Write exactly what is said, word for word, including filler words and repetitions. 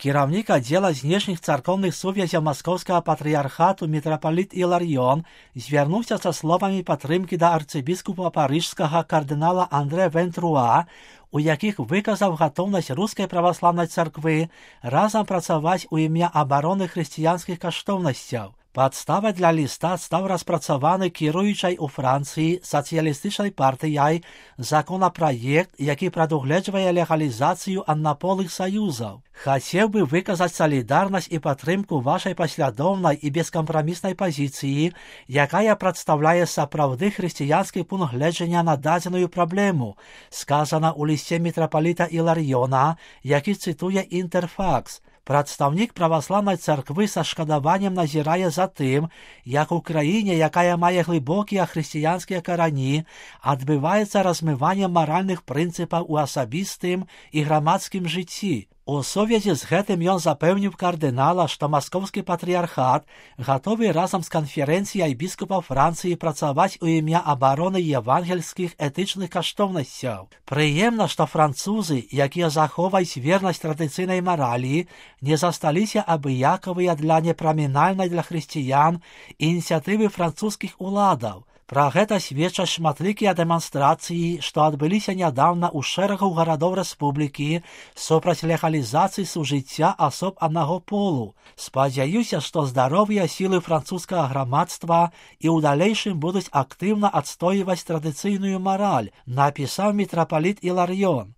Кіраўнік аддзела знешніх царкоўных сувязяў маскоўскага патрыярхату мітрапаліт Іларыён звярнуўся са словамі падтрымкі да арцыбіскупа парыжскага кардынала Андре Вентруа, у якіх выказаў гатоўнасць рускай праваслаўнай царквы разам працаваць у імя абароны хрысціянскіх каштоўнасцяў. Падставай для ліста стаў распрацаваны кіруючай у Францыі сацыялістычнай партыяй законапраект, які прадугледжвае легалізацыю аднаполых саюзаў. Хацеў бы выказаць салідарнасць і падтрымку вашай паслядоўнай і бескампраміснай пазіцыі, якая прадстаўляе сапраўды хрысціянскі пункт гледжання на дадзеную праблему, сказана ў лісце мітрапаліта Іларыёна, які цытуе Інтэрфакс. Прадстаўнік праваслаўнай царквы са шкадаваннем назірае за тым, як у краіне, якая мае глыбокія хрысціянскія карані, адбываецца размыванне маральных прынцыпаў у асабістым і грамадскім жыцці. У сувязі з гэтым ён запэўніў кардынала, што маскоўскі патрыярхат гатовы разам з канферэнцыяй біскупаў Францыі працаваць у імя абароны евангельскіх этычных каштоўнасцяў. Прыемна, што французы, якія захоўваюць вернасць традыцыйнай маралі, не засталіся абыякавыя для непрамінальнай для хрысціян ініцыятывы французскіх уладаў. Пра гэта сведчаць шматлікія дэманстрацыі, што адбыліся нядаўна ў шэрагу гарадоў рэспублікі супраць легалізацыі сужыцця асоб аднаго полу. Спадзяюся, што здаровыя сілы французскага грамадства і ў далейшым будуць актыўна адстойваць традыцыйную мараль, напісаў мітрапаліт Іларыён.